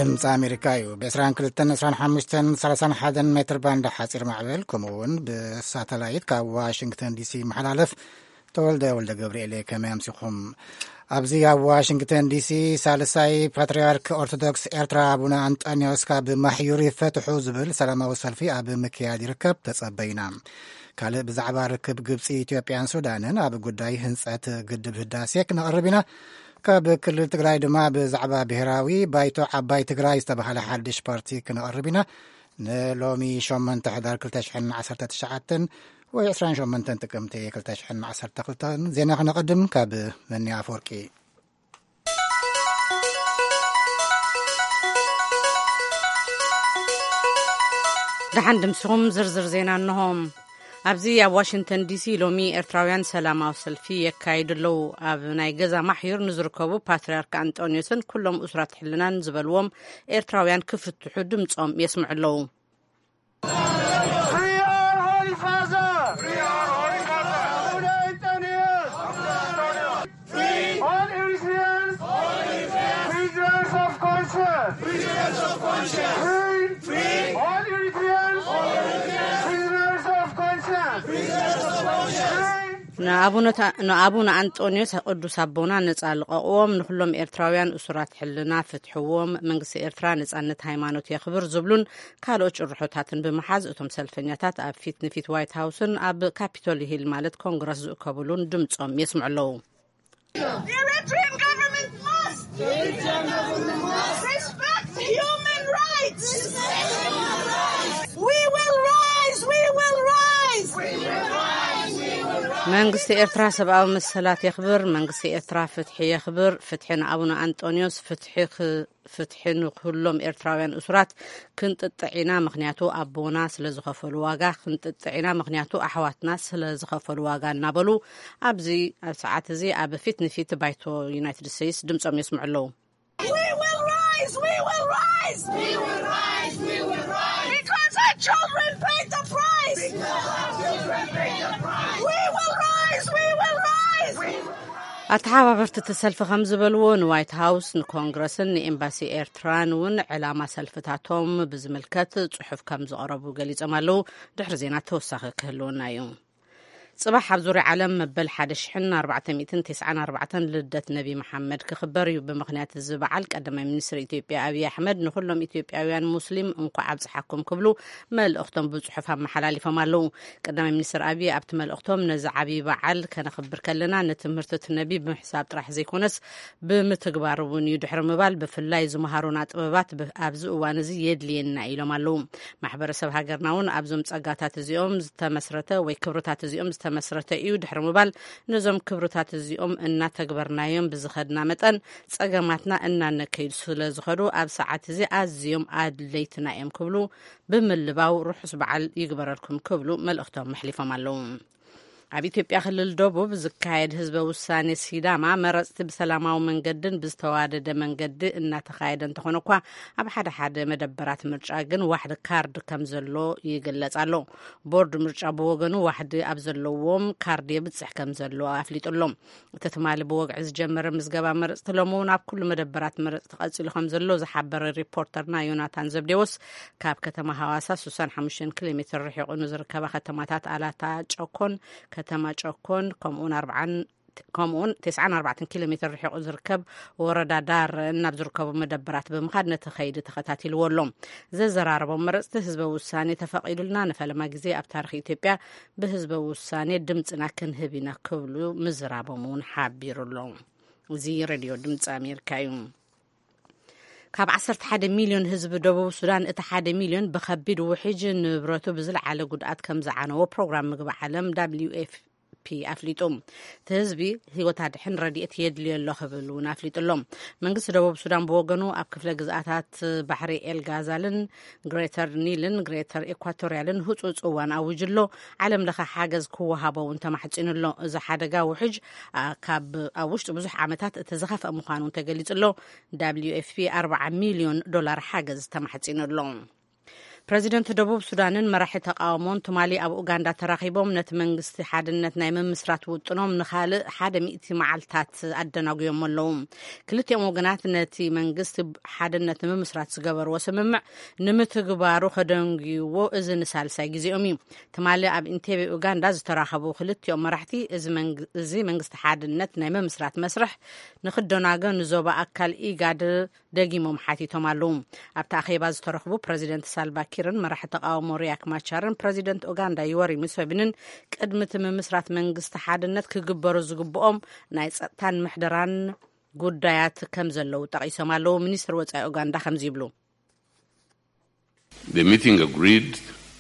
ድምፂ ኣሜሪካ እዩ። ብ22፣ 25፣ 31 ሜትር ባንድ ሓፂር ማዕበል፣ ከምኡ እውን ብሳተላይት ካብ ዋሽንግተን ዲሲ ይመሓላለፍ። ተወልደ ወልደ ገብርኤል ከመይ ኣምሲኹም? ኣብዚ ኣብ ዋሽንግተን ዲሲ ሳልሳይ ፓትርያርክ ኦርቶዶክስ ኤርትራ ኣቡነ ኣንጠንዮስ ካብ ማሕዩር ይፈትሑ ዝብል ሰላማዊ ሰልፊ ኣብ ምክያድ ይርከብ። ተጸበዩና። ካልእ ብዛዕባ ርክብ ግብጺ፣ ኢትዮጵያን ሱዳንን ኣብ ጉዳይ ህንጸት ግድብ ህዳሴ ክነቕርብ ኢና። ካብ ክልል ትግራይ ድማ ብዛዕባ ብሔራዊ ባይቶ ዓባይ ትግራይ ዝተባህለ ሓድሽ ፓርቲ ክነቕርብ ኢና። ንሎሚ ሸሞንተ ሕዳር ክልተ ሽሕን ዓሰርተ ትሽዓተን ወይ ዕስራን ሸሞንተን ጥቅምቲ ክልተ ሽሕን ዓሰርተ ክልተን ዜና ክነቐድም ካብ መኒ ኣፈወርቂ። ደሓን ድምስኹም ዝርዝር ዜና እንሆ። ኣብዚ ኣብ ዋሽንግተን ዲሲ ሎሚ ኤርትራውያን ሰላማዊ ሰልፊ የካይዱ ኣለዉ። ኣብ ናይ ገዛ ማሕዩር ንዝርከቡ ፓትርያርክ ኣንጦንዮስን ኩሎም እሱራት ሕልናን ዝበልዎም ኤርትራውያን ክፍትሑ ድምጾም የስምዑ ኣለዉ። Free our Holy Father! Free our Holy Father! Abuna Antonius! Free! All Eritreans! All Eritreans! Prisoners of conscience! Prisoners of conscience! Free! Free! All Eritreans! All Eritreans! Prisoners of conscience! Prisoners of conscience! Free! ንኣቡነ ታ-፣ ንኣቡነ ኣንጦንዮስ ቅዱስ ኣቦና ነጻ ልቐቕዎም፣ ንኹሎም ኤርትራውያን እሱራት ሕልና ፍትሕዎም፣ መንግስቲ ኤርትራ ነጻነት ሃይማኖት የኽብር ዝብሉን ካልኦት ጭርሖታትን ብምሓዝ እቶም ሰልፈኛታት ኣብ ፊት ንፊት ዋይት ሃውስን ኣብ ካፒቶል ሂል ማለት ኮንግረስ ዝእከብሉን ድምጾም የስምዑ ኣለዉ። The Eritrean government must respect human rights. We will rise, we will rise. መንግስቲ ኤርትራ ሰብኣዊ መሰላት የኽብር፣ መንግስቲ ኤርትራ ፍትሒ የኽብር፣ ፍትሒ ንኣቡነ ኣንጦንዮስ፣ ፍትሒ ክ-፣ ፍትሒ ንኩሎም ኤርትራውያን እሱራት ክንጥጥዕ ኢና፣ ምኽንያቱ ኣቦና ስለ ዝኸፈሉ ዋጋ፣ ክንጥጥዕ ኢና፣ ምኽንያቱ ኣሕዋትና ስለ ዝኸፈሉ ዋጋ እናበሉ ኣብዚ ኣብ ሰዓት እዚ ኣብ ፊት ንፊት ባይቶ ዩናይትድ ስቴትስ ድምጾም የስምዑ ኣለዉ። We will rise! We will rise! We will rise! We will rise! Because our children paid the price! Because our children paid the price! We will rise! We will rise! ኣተሓባበርቲ እቲ ሰልፊ ከም ዝበልዎ፣ ንዋይት ሃውስ፣ ንኮንግረስን ንኤምባሲ ኤርትራን እውን ዕላማ ሰልፍታቶም ብዝምልከት ጽሑፍ ከም ዝቐረቡ ገሊጾም ኣለዉ። ድሕሪ ዜና ተወሳኺ ክህልወና እዩ። ጽባሕ ኣብ ዙርያ ዓለም መበል ሓደ ሽሕን ኣርባዕተ ሚእትን ተስዓን ኣርባዕተን ልደት ነቢ መሓመድ ክኽበር እዩ። ብምኽንያት እዚ በዓል ቀዳማይ ሚኒስትር ኢትዮጵያ ኣብይ ኣሕመድ ንኹሎም ኢትዮጵያውያን ሙስሊም እንኳዕ ኣብጽሓኩም ክብሉ መልእኽቶም ብጽሑፍ ኣመሓላሊፎም ኣለዉ። ቀዳማይ ሚኒስትር ኣብይ ኣብቲ መልእኽቶም ነዚ ዓብዪ በዓል ከነኽብር ከለና ንትምህርቲ እቲ ነቢ ብምሕሳብ ጥራሕ ዘይኮነስ ብምትግባር እውን እዩ ድሕሪ ምባል ብፍላይ ዝመሃሩና ጥበባት ብ-፣ ኣብዚ እዋን እዚ የድልየና ኢሎም ኣለዉ። ማሕበረሰብ ሃገርና እውን ኣብዞም ጸጋታት እዚኦም ዝተመስረተ ወይ ክብርታት እዚኦም ዝተመስረተ እዩ ድሕሪ ምባል፣ ነዞም ክብርታት እዚኦም እናተግበርናዮም ብዝኸድና መጠን፣ ጸገማትና እናነከዩ ስለ ዝኸዱ፣ ኣብ ሰዓት እዚ ኣዝዮም ኣድለይትና እዮም ክብሉ ብምልባው፣ ርሑስ በዓል ይግበረልኩም ክብሉ መልእኽቶም መሕሊፎም ኣለዉ። ኣብ ኢትዮጵያ ክልል ደቡብ ዝካየድ ህዝበ ውሳኔ ሲዳማ መረጽቲ ብሰላማዊ መንገድን ብዝተዋደደ መንገዲ እናተኻየደ እንተኾነ እኳ፣ ኣብ ሓደ ሓደ መደበራት ምርጫ ግን ዋሕዲ ካርድ ከም ዘሎ ይግለጽ ኣሎ። ቦርድ ምርጫ ብወገኑ ዋሕዲ ኣብ ዘለዎም ካርድ የብጽሕ ከም ዘሎ ኣፍሊጡ ኣሎ። እቲ ትማሊ ብወግዒ ዝጀመረ ምዝገባ መረጽቲ ሎሚ እውን ኣብ ኩሉ መደበራት መረጽቲ ቀጺሉ ከም ዘሎ ዝሓበረ ሪፖርተርና ዮናታን ዘብዴዎስ ካብ ከተማ ሃዋሳ ስሳን ሓሙሽተን ኪሎ ሜትር ርሒቑ ንዝርከባ ከተማታት ኣላታ ጨኮን፣ ከተማ ጨኮን፣ ከምኡውን ኣርብዓን ከምኡውን ተስዓን ኣርባዕተን ኪሎ ሜትር ርሒቑ ዝርከብ ወረዳ ዳር ናብ ዝርከቡ መደበራት ብምኻድ ነቲ ከይዲ ተኸታቲልዎ ኣሎ። ዘዘራረቦም መረጽቲ ህዝበ ውሳኔ ተፈቒዱልና ንፈለማ ግዜ ኣብ ታሪኽ ኢትዮጵያ ብህዝበ ውሳኔ ድምፅና ክንህብ ኢና ክብሉ ምዝራቦም እውን ሓቢሩ ኣሎ። እዚ ሬድዮ ድምፂ ኣሜሪካ እዩ። ካብ ዓሰርተ ሓደ ሚልዮን ህዝቢ ደቡብ ሱዳን እቲ ሓደ ሚልዮን ብኸቢድ ውሕጅ ንብረቱ ብዝለዓለ ጉድኣት ከም ዝዓነዎ ፕሮግራም ምግቢ ዓለም ደብሊው ኤፍ ፒ ኣፍሊጡ። እቲ ህዝቢ ህይወት ኣድሕን ረድኤት የድልዮ ኣሎ ክብል እውን ኣፍሊጡ ኣሎ። መንግስቲ ደቡብ ሱዳን ብወገኑ ኣብ ክፍለ ግዝኣታት ባሕሪ ኤል ጋዛልን ግሬተር ኒልን ግሬተር ኤኳቶርያልን ህፁፅ እዋን ኣዊጁ ኣሎ። ዓለም ለኸ ሓገዝ ክወሃቦ እውን ተማሕፂኑ ኣሎ። እዚ ሓደጋ ውሕጅ፣ ኣ፣ ካብ ኣብ ውሽጢ ብዙሕ ዓመታት እቲ ዝኸፍአ ምዃኑ እውን ተገሊፁ ኣሎ። ደብሊው ኤፍ ፒ ኣርባዓ ሚልዮን ዶላር ሓገዝ ተማሕፂኑ ኣሎ። ፕረዚደንት ደቡብ ሱዳንን መራሒ ተቃውሞን ትማሊ ኣብ ኡጋንዳ ተራኺቦም ነቲ መንግስቲ ሓድነት ናይ ምምስራት ውጥኖም ንኻልእ ሓደ ሚእቲ መዓልታት ኣደናጉዮም ኣለዉ። ክልቲኦም ወገናት ነቲ መንግስቲ ሓድነት ንምምስራት ዝገበርዎ ስምምዕ ንምትግባሩ ከደንጉይዎ እዚ ንሳልሳይ ግዜኦም እዩ። ትማሊ ኣብ ኢንቴቤ ኡጋንዳ ዝተራኸቡ ክልቲኦም መራሕቲ እዚ መንግ-፣ እዚ መንግስቲ ሓድነት ናይ ምምስራት መስርሕ ንክደናገ ንዞባ ኣካል ኢጋድ ደጊሞም ሓቲቶም ኣለዉ። ኣብቲ ኣኼባ ዝተረኽቡ ፕረዚደንት ሳልቫ ኪርን መራሒ ተቃውሞ ሪያክ ማቻርን ፕረዚደንት ኡጋንዳ ዮወሪ ሙሴቪንን ቅድሚ እቲ ምምስራት መንግስቲ ሓድነት ክግበሩ ዝግብኦም ናይ ጸጥታን ምሕደራን ጉዳያት ከም ዘለዉ ጠቒሶም ኣለዉ። ሚኒስትር ወጻኢ ኡጋንዳ ከምዚ ይብሉ። The meeting agreed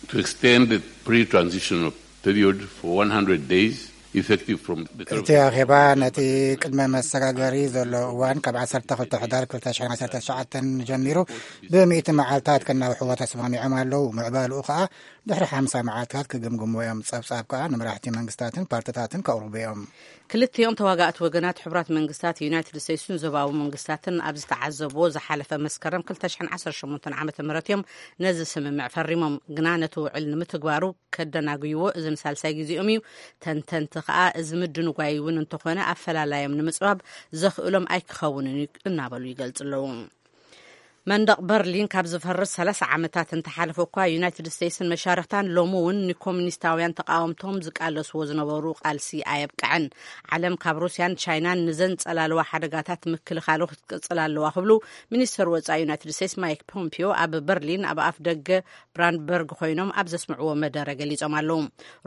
to extend the pre-transitional period for one hundred days, effective from the እቲ ኣኼባ ነቲ ቅድመ መሰጋገሪ ዘሎ እዋን ካብ ዓሰርተ ክልተ ሕዳር ክልተ ሽሕን ዓሰርተ ትሽዓተን ጀሚሩ ብሚእቲ መዓልታት ከናውሕዎ ተስማሚዖም ኣለዉ። ምዕባልኡ ከኣ ድሕሪ ሓምሳ መዓልታት ክግምግሙ እዮም። ጸብጻብ ከኣ ንመራሕቲ መንግስታትን ፓርትታትን ከቕርቡ እዮም። ክልቲኦም ተዋጋእቲ ወገናት ሕቡራት መንግስታት፣ ዩናይትድ ስቴትስን ዞባዊ መንግስታትን ኣብ ዝተዓዘብዎ ዝሓለፈ መስከረም ክልተ ሽሕን ዓሰርተ ሸሞንተን ዓመተ ምህረት እዮም ነዚ ስምምዕ ፈሪሞም። ግና ነቲ ውዕል ንምትግባሩ ከደናጉይዎ እዚ ንሳልሳይ ግዜኦም እዩ። ተንተንቲ ከኣ እዚ ምድንጓይ እውን እንተኾነ ኣፈላላዮም ንምጽባብ ዘኽእሎም ኣይክኸውንን እዩ እናበሉ ይገልጹ ኣለዉ። መንደቕ በርሊን ካብ ዝፈርስ ሰላሳ ዓመታት እንተሓለፎ እኳ፣ ዩናይትድ ስቴትስን መሻርኽታን ሎሚ እውን ንኮሙኒስታውያን ተቃወምቶም ዝቃለስዎ ዝነበሩ ቃልሲ ኣየብቅዐን። ዓለም ካብ ሩስያን ቻይናን ንዘንጸላለዋ ሓደጋታት ምክልኻሉ ክትቅጽል ኣለዋ ክብሉ ሚኒስተር ወጻኢ ዩናይትድ ስቴትስ ማይክ ፖምፒዮ ኣብ በርሊን ኣብ ኣፍ ደገ ብራንድበርግ ኮይኖም ኣብ ዘስምዕዎ መደረ ገሊጾም ኣለዉ።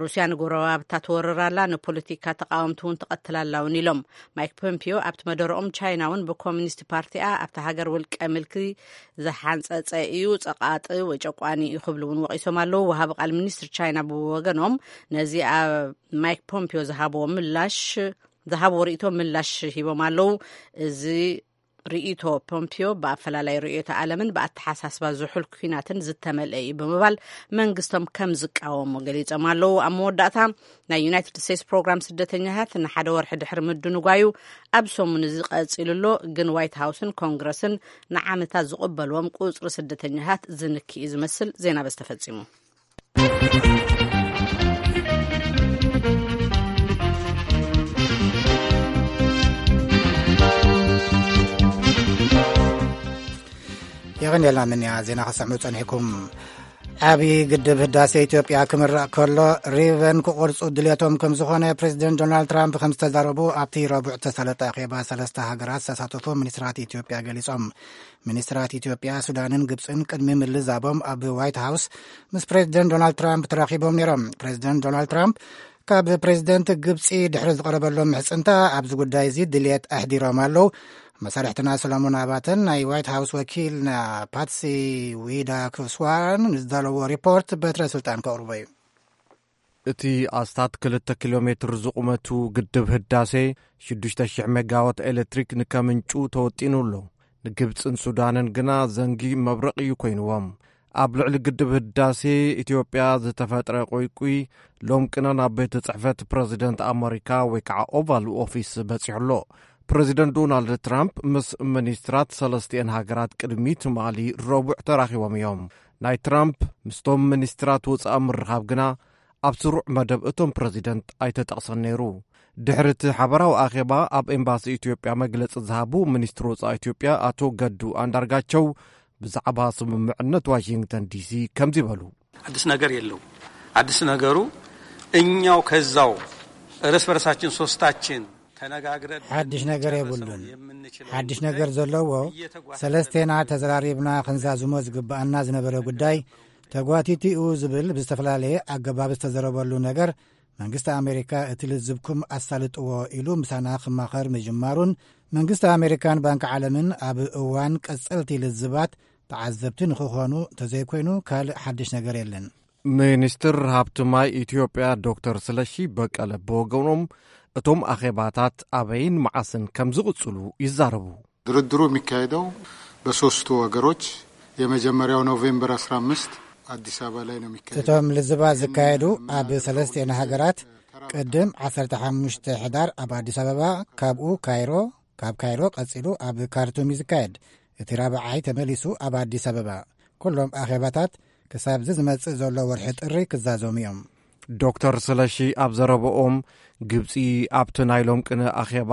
ሩስያ ንጎረባብታ ትወርር ኣላ፣ ንፖለቲካ ተቃወምቲ እውን ትቐትል ኣላ እውን ኢሎም። ማይክ ፖምፒዮ ኣብቲ መደረኦም ቻይና እውን ብኮሚኒስት ፓርቲኣ ኣብቲ ሃገር ውልቀ ምልኪ ዝሓንጸጸ እዩ፣ ጸቓጢ ወይ ጨቋኒ እዩ ክብሉ እውን ወቒሶም ኣለዉ። ወሃቢ ቃል ሚኒስትር ቻይና ብወገኖም ነዚ ኣብ ማይክ ፖምፒዮ ዝሃብዎ ምላሽ ዝሃብዎ ርእይቶ ምላሽ ሂቦም ኣለዉ። እዚ ርእይቶ ፖምፒዮ ብኣፈላላይ ርእዮተ ዓለምን ብኣተሓሳስባ ዝሑል ኲናትን ዝተመልአ እዩ ብምባል መንግስቶም ከም ዝቃወሙ ገሊጾም ኣለዉ። ኣብ መወዳእታ ናይ ዩናይትድ ስቴትስ ፕሮግራም ስደተኛታት ንሓደ ወርሒ ድሕሪ ምድንጓዩ ኣብ ሰሙን እዚ ቀጺሉ ኣሎ። ግን ዋይት ሃውስን ኮንግረስን ንዓመታት ዝቕበልዎም ቁጽሪ ስደተኛታት ዝንኪ እዩ ዝመስል። ዜና በዚ ተፈጺሙ። የቐንየልና ምንያ ዜና ከሰምዑ ጸኒሕኩም። ዓብዪ ግድብ ህዳሴ ኢትዮጵያ ክምረቕ ከሎ ሪቨን ክቆርጹ ድሌቶም ከም ዝኾነ ፕሬዚደንት ዶናልድ ትራምፕ ከም ዝተዛረቡ ኣብቲ ረቡዕ ዝተሳለጠ ኣኼባ ሰለስተ ሃገራት ዝተሳተፉ ሚኒስትራት ኢትዮጵያ ገሊጾም። ሚኒስትራት ኢትዮጵያ፣ ሱዳንን ግብጽን ቅድሚ ምልዛቦም ኣብ ዋይት ሃውስ ምስ ፕሬዚደንት ዶናልድ ትራምፕ ተራኺቦም ነይሮም። ፕሬዚደንት ዶናልድ ትራምፕ ካብ ፕሬዚደንት ግብጺ ድሕሪ ዝቐረበሎም ምሕጽንታ ኣብዚ ጉዳይ እዚ ድልየት ኣሕዲሮም ኣለዉ። መሳርሕትና ሰሎሞን ኣባተን ናይ ዋይት ሃውስ ወኪልና ፓትሲ ዊዳ ክስዋን ንዝዳለዎ ሪፖርት በትረ ስልጣን ከቕርቦ እዩ። እቲ ኣስታት ክልተ ኪሎ ሜትር ዝቑመቱ ግድብ ህዳሴ ሽዱሽተ ሽሕ ሜጋዋት ኤሌክትሪክ ንከምንጩ ተወጢኑ ኣሎ። ንግብጽን ሱዳንን ግና ዘንጊ መብረቕ እዩ ኮይንዎም። ኣብ ልዕሊ ግድብ ህዳሴ ኢትዮጵያ ዝተፈጥረ ቁይቁይ ሎም ቅነ ናብ ቤት ጽሕፈት ፕረዚደንት ኣመሪካ ወይ ከዓ ኦቫል ኦፊስ በጺሑ ኣሎ። ፕረዚደንት ዶናልድ ትራምፕ ምስ ሚኒስትራት ሰለስቲኤን ሃገራት ቅድሚ ትማሊ ረቡዕ ተራኺቦም እዮም። ናይ ትራምፕ ምስቶም ሚኒስትራት ወጻኢ ምርኻብ ግና ኣብ ስሩዕ መደብ እቶም ፕረዚደንት ኣይተጠቕሰን ነይሩ። ድሕሪ እቲ ሓበራዊ ኣኼባ ኣብ ኤምባሲ ኢትዮጵያ መግለጺ ዝሃቡ ሚኒስትር ወጻኢ ኢትዮጵያ ኣቶ ገዱ ኣንዳርጋቸው ብዛዕባ ስምምዕነት ዋሽንግተን ዲሲ ከምዚ በሉ። አዲስ ነገር የለው። አዲስ ነገሩ እኛው ከዛው እርስ በርሳችን ሶስታችን ተነጋግረን ሓድሽ ነገር የብሉን። ሓድሽ ነገር ዘለዎ ሰለስቴና ተዘራሪብና ክንዛዝሞ ዝግብኣና ዝነበረ ጉዳይ ተጓቲቲኡ ዝብል ብዝተፈላለየ ኣገባብ ዝተዘረበሉ ነገር መንግስቲ ኣሜሪካ እቲ ልዝብኩም ኣሳልጥዎ ኢሉ ምሳና ክማኸር ምጅማሩን መንግስቲ ኣሜሪካን ባንኪ ዓለምን ኣብ እዋን ቀጸልቲ ልዝባት ተዓዘብቲ ንክኾኑ እንተዘይኮይኑ ካልእ ሓድሽ ነገር የለን። ሚኒስትር ሃብቲ ማይ ኢትዮጵያ ዶክተር ስለሺ በቀለ ብወገኖም እቶም ኣኼባታት ኣበይን መዓስን ከም ዝቕጽሉ ይዛረቡ። ድርድሩ የሚካሄደው በሶስቱ ወገኖች የመጀመሪያው ኖቬምበር አስራ አምስት አዲስ አበባ ላይ ነው የሚካሄደው። እቶም ልዝባት ዝካየዱ ኣብ ሰለስቲኤን ሃገራት ቅድም ዓሰርተ ሓሙሽተ ሕዳር ኣብ ኣዲስ ኣበባ፣ ካብኡ ካይሮ፣ ካብ ካይሮ ቀጺሉ ኣብ ካርቱም እዩ ዝካየድ። እቲ ራብዓይ ተመሊሱ ኣብ ኣዲስ ኣበባ። ኩሎም ኣኼባታት ክሳብዚ ዝመጽእ ዘሎ ወርሒ ጥሪ ክዛዘሙ እዮም። ዶክተር ስለሺ ኣብ ዘረበኦም፣ ግብጺ ኣብቲ ናይ ሎም ቅነ ኣኼባ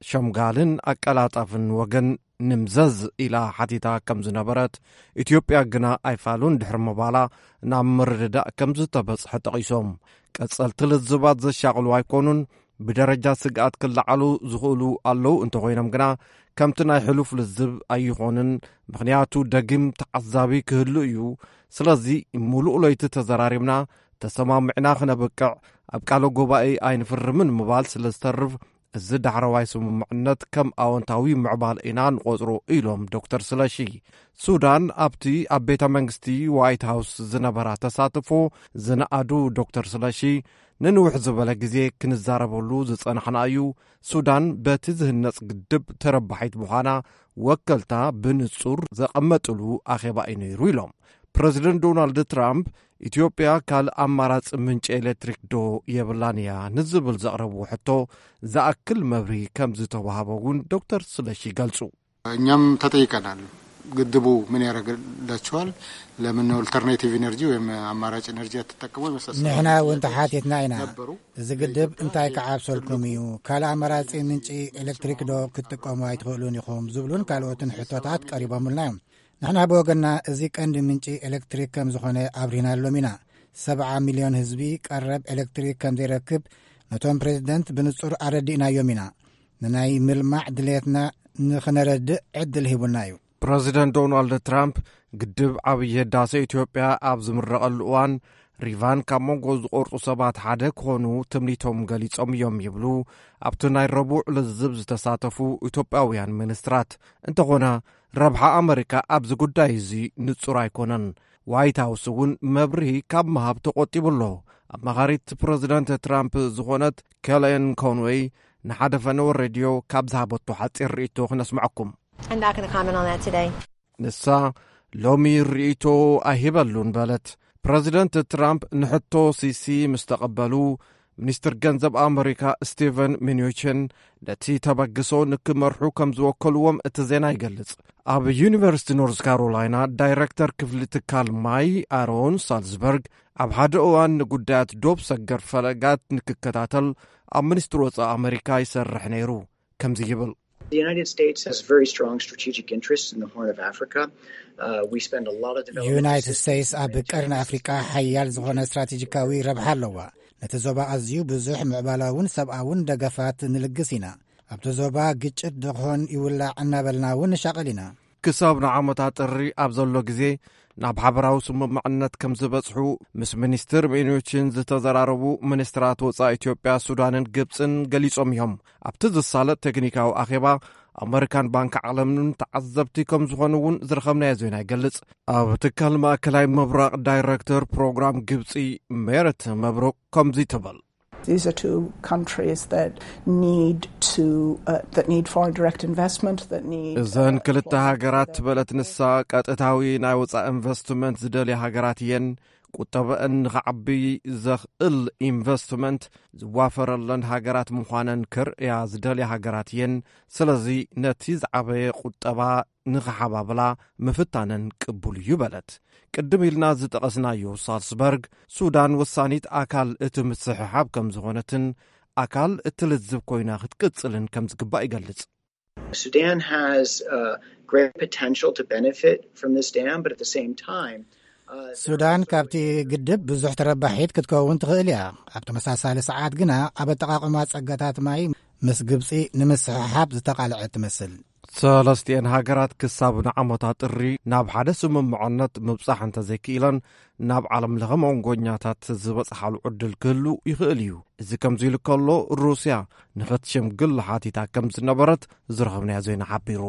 ሸምጋልን ኣቀላጣፍን ወገን ንምዘዝ ኢላ ሓቲታ ከም ዝነበረት፣ ኢትዮጵያ ግና ኣይፋሉን ድሕሪ ምባላ ናብ ምርድዳእ ከም ዝተበጽሐ ጠቒሶም፣ ቀጸልቲ ልዝባት ዘሻቕሉ ኣይኮኑን፣ ብደረጃ ስግኣት ክለዓሉ ዝኽእሉ ኣለዉ እንተኾይኖም ግና፣ ከምቲ ናይ ሕሉፍ ልዝብ ኣይኾንን፣ ምኽንያቱ ደጊም ተዓዛቢ ክህሉ እዩ። ስለዚ፣ ምሉእ ለይቲ ተዘራሪብና፣ ተሰማሚዕና ክነብቅዕ ኣብ ቃለ ጉባኤ ኣይንፍርምን ምባል ስለ ዝተርፍ፣ እዚ ዳሕረዋይ ስምምዕነት ከም ኣወንታዊ ምዕባል ኢና ንቖጽሮ ኢሎም ዶክተር ስለሺ። ሱዳን ኣብቲ ኣብ ቤተ መንግስቲ ዋይት ሃውስ ዝነበራ ተሳትፎ ዝነኣዱ ዶክተር ስለሺ፣ ንንውሕ ዝበለ ግዜ ክንዛረበሉ ዝጸናሕና እዩ። ሱዳን በቲ ዝህነጽ ግድብ ተረባሒት ምዃና ወከልታ ብንጹር ዘቐመጥሉ ኣኼባ እዩ ነይሩ ኢሎም። ፕረዚደንት ዶናልድ ትራምፕ፣ ኢትዮጵያ ካልእ ኣማራጺ ምንጪ ኤሌክትሪክ ዶ የብላን እያ ንዝብል ዘቕረብዎ ሕቶ ዝኣክል መብርሂ ከም ዝተዋህቦ እውን ዶክተር ስለሺ ይገልጹ። እኛም ተጠይቀናል። ግድቡ ምን ያደርግላችኋል? ለምን ኦልተርኔቲቭ ኢነርጂ ወይም አማራጭ ኢነርጂ አትጠቀሙ? የመሳሰሉ ንሕና እውን ጥያቄዎች ተሓቲትና ኢና። ነበሩ። እዚ ግድብ እንታይ ክዓብሰልኩም እዩ? ካልእ ኣማራጺ ምንጪ ኤሌክትሪክ ዶ ክትጥቀሙ ኣይትኽእሉን ኢኹም? ዝብሉን ካልኦትን ሕቶታት ቀሪቦምልና እዮም። ንሕና ብወገንና፣ እዚ ቀንዲ ምንጪ ኤሌክትሪክ ከም ዝኾነ ኣብሪህናሎም ኢና። ሰብዓ ሚልዮን ህዝቢ ቀረብ ኤሌክትሪክ ከም ዘይረክብ ነቶም ፕሬዚደንት ብንጹር ኣረዲእናዮም ኢና። ንናይ ምልማዕ ድሌትና ንኽነረድእ ዕድል ሂቡና እዩ። ፕረዚደንት ዶናልድ ትራምፕ፣ ግድብ ዓብዪ ህዳሰ ኢትዮጵያ ኣብ ዝምረቐሉ እዋን፣ ሪቫን ካብ መንጎ ዝቖርጹ ሰባት ሓደ ክኾኑ ትምኒቶም ገሊጾም እዮም ይብሉ ኣብቲ ናይ ረቡዕ ልዝብ ዝተሳተፉ ኢትዮጵያውያን ሚኒስትራት። እንተኾነ፣ ረብሓ ኣመሪካ ኣብዚ ጉዳይ እዚ ንጹር ኣይኮነን። ዋይት ሃውስ እውን መብርሂ ካብ ምሃብ ተቖጢቡ ኣሎ። ኣማኻሪት ፕረዚደንት ትራምፕ ዝኾነት ኬሌን ኮንወይ ንሓደ ፈነወ ሬድዮ ካብ ዝሃበቶ ሓጺር ርእይቶ ክነስምዐኩም። I'm not gonna comment on that today. ንሳ፣ ሎሚ ርእይቶ ኣይህበሉን በለት። ፕረዚደንት ትራምፕ ንሕቶ ሲሲ ምስ ተቐበሉ፣ ሚኒስትር ገንዘብ ኣመሪካ ስቲቨን ሚኑቺን ነቲ ተበግሶ ንክመርሑ ከም ዝወከልዎም እቲ ዜና ይገልጽ። ኣብ ዩኒቨርሲቲ ኖርዝ ካሮላይና ዳይረክተር ክፍሊ ትካል ማይ ኣሮን ሳልዝበርግ፣ ኣብ ሓደ እዋን ንጉዳያት ዶብ ሰገር ፈለጋት ንክከታተል ኣብ ሚኒስትሪ ወጻኢ ኣመሪካ ይሰርሕ ነይሩ። ከምዚ ይብል። The United States has very strong strategic interests in the Horn of Africa. Uh, we spend a lot of development ዩናይትድ assistance ስቴትስ ኣብ ቀርኒ ኣፍሪቃ ሓያል ዝኾነ ስትራቴጂካዊ ረብሓ ኣለዋ። ነቲ ዞባ ኣዝዩ ብዙሕ ምዕባላውን ሰብኣውን ደገፋት ንልግስ ኢና። ኣብቲ ዞባ ግጭት ደኾን ይውላዕ እናበልና እውን ንሻቐል ኢና። ክሳብ ንዓመታ ጥሪ ኣብ ዘሎ ግዜ ናብ ሓበራዊ ስምምዕነት ከም ዝበጽሑ ምስ ሚኒስትር ሚኑቺን ዝተዘራረቡ ሚኒስትራት ወጻኢ ኢትዮጵያ፣ ሱዳንን ግብጽን ገሊጾም እዮም። ኣብቲ ዝሳለጥ ቴክኒካዊ ኣኼባ ኣመሪካን ባንኪ ዓለምን ተዓዘብቲ ከም ዝኾኑ እውን ዝረኸብናዮ ዜና ይገልጽ። ኣብ ትካል ማእከላይ ምብራቕ ዳይረክተር ፕሮግራም ግብጺ ሜረት መብሩቅ ከምዚ ትብል። These are two countries that need to uh, that need foreign direct investment, that need እዘን ክልተ ሃገራት ትበለት ንሳ፣ ቀጥታዊ ናይ ወጻኢ ኢንቨስትመንት ዝደልያ ሃገራት እየን። ቁጠበአን ንኽዓቢ ዘኽእል ኢንቨስትመንት ዝዋፈረለን ሃገራት ምዃነን ክርእያ ዝደልያ ሃገራት እየን። ስለዚ ነቲ ዝዓበየ ቁጠባ ንኽሓባብላ ምፍታነን ቅቡል እዩ በለት። ቅድም ኢልና ዝጠቐስናዮ ሳልስበርግ፣ ሱዳን ወሳኒት ኣካል እቲ ምስሕሓብ ከም ዝኾነትን ኣካል እቲ ልዝብ ኮይና ክትቅጽልን ከም ዝግባእ ይገልጽ። Sudan has uh, great potential to benefit from this dam, but at the same time, uh, ሱዳን ካብቲ ግድብ ብዙሕ ተረባሒት ክትከውን ትኽእል እያ። ኣብ ተመሳሳሊ ሰዓት ግና ኣብ ኣጠቓቕማ ጸጋታት ማይ ምስ ግብጺ ንምስሕሓብ ዝተቓልዐት ትመስል። ሰለስቲኤን ሃገራት ክሳብ ንዓመታ ጥሪ ናብ ሓደ ስምምዕነት ምብጻሕ እንተዘይክኢለን፣ ናብ ዓለም ለኸ መንጎኛታት ዝበጽሓሉ ዕድል ክህሉ ይኽእል እዩ። እዚ ከምዚ ኢሉ ከሎ፣ ሩስያ ንኽትሽምግል ሓቲታ ከም ዝነበረት ዝረኸብናዮ ዜና ሓቢሩ።